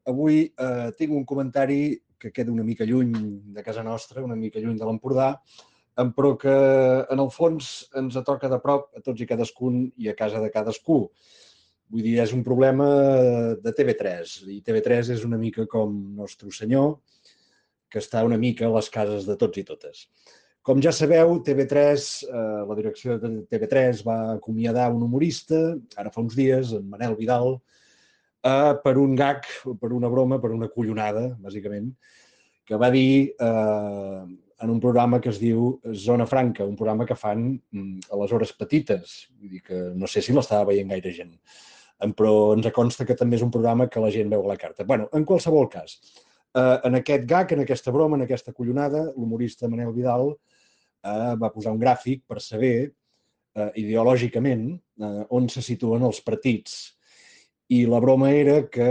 avui tinc un comentari que queda una mica lluny de casa nostra, una mica lluny de l'Empordà, però que en el fons ens toca de prop a tots i cadascun i a casa de cadascú. Vull dir, és un problema de TV3, i TV3 és una mica com Nostre Senyor, que està una mica a les cases de tots i totes. Com ja sabeu, TV3, la direcció de TV3 va acomiadar un humorista, ara fa uns dies, en Manel Vidal, per un gag, per una broma, per una collonada, bàsicament, que va dir en un programa que es diu Zona Franca, un programa que fan a les hores petites. Vull dir que no sé si l'estava veient gaire gent, però ens consta que també és un programa que la gent veu a la carta. Bueno, en qualsevol cas, en aquest gag, en aquesta broma, en aquesta collonada, l'humorista Manel Vidal va posar un gràfic per saber ideològicament on se situen els partits. I la broma era que,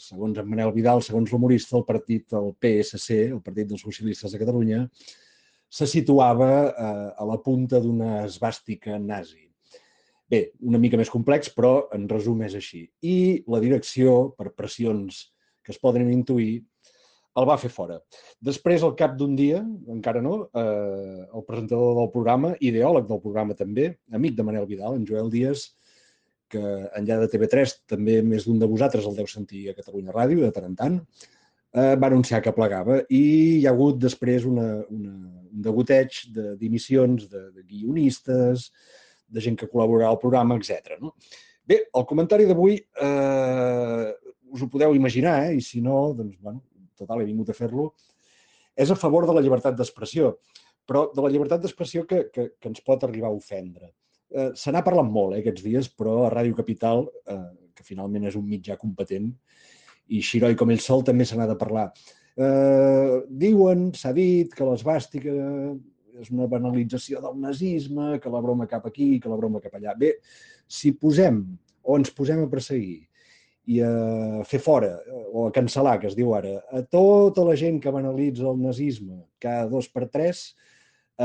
segons en Manel Vidal, segons l'humorista, el partit, el PSC, el Partit dels Socialistes de Catalunya, se situava a la punta d'una esvàstica nazi. Bé, una mica més complex, però en resum és així. I la direcció, per pressions que es poden intuir, el va fer fora. Després, al cap d'un dia, encara no, el presentador del programa, ideòleg del programa també, amic de Manel Vidal, en Joel Díaz, que enllà de TV3 també més d'un de vosaltres el deu sentir a Catalunya Ràdio, de tant en tant, va anunciar que plegava i hi ha hagut després un degoteig de dimissions de guionistes, de gent que col·laborarà al programa, etc. No? Bé, el comentari d'avui us ho podeu imaginar, i si no, doncs, bueno, total, he vingut a fer-lo, és a favor de la llibertat d'expressió, però de la llibertat d'expressió que ens pot arribar a ofendre. Se n'ha parlat molt aquests dies, però a Ràdio Capital, que finalment és un mitjà competent, i Xiroi com ell sol també se n'ha de parlar. Diuen, s'ha dit, que l'esvàstica és una banalització del nazisme, que la broma cap aquí, que la broma cap allà. Bé, si posem o ens posem a perseguir i a fer fora, o a cancel·lar, que es diu ara, a tota la gent que banalitza el nazisme cada 2 per 3,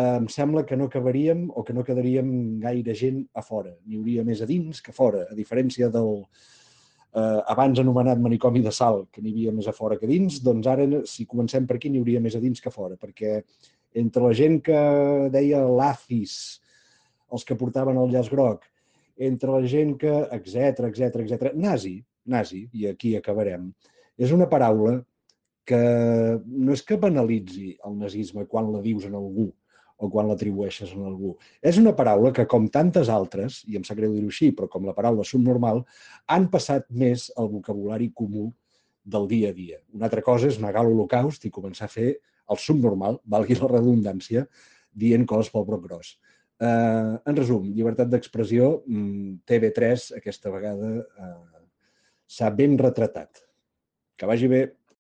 em sembla que no acabaríem o que no quedaríem gaire gent a fora. N'hi hauria més a dins que a fora, a diferència del abans anomenat manicomi de Salt, que n'hi havia més a fora que a dins, doncs ara, si comencem per aquí, n'hi hauria més a dins que a fora, perquè entre la gent que deia l'ACIS, els que portaven el llaç groc, entre la gent que, etc, nazi, i aquí acabarem, és una paraula que no és que banalitzi el nazisme quan la dius en algú o quan l'atribueixes a algú. És una paraula que, com tantes altres, i em sap greu dir-ho així, però com la paraula subnormal, han passat més al vocabulari comú del dia a dia. Una altra cosa és negar l'Holocaust i començar a fer el subnormal, valgui la redundància, dient coses pel broc gros. En resum, llibertat d'expressió, TV3 aquesta vegada s'ha ben retratat. Que vagi bé.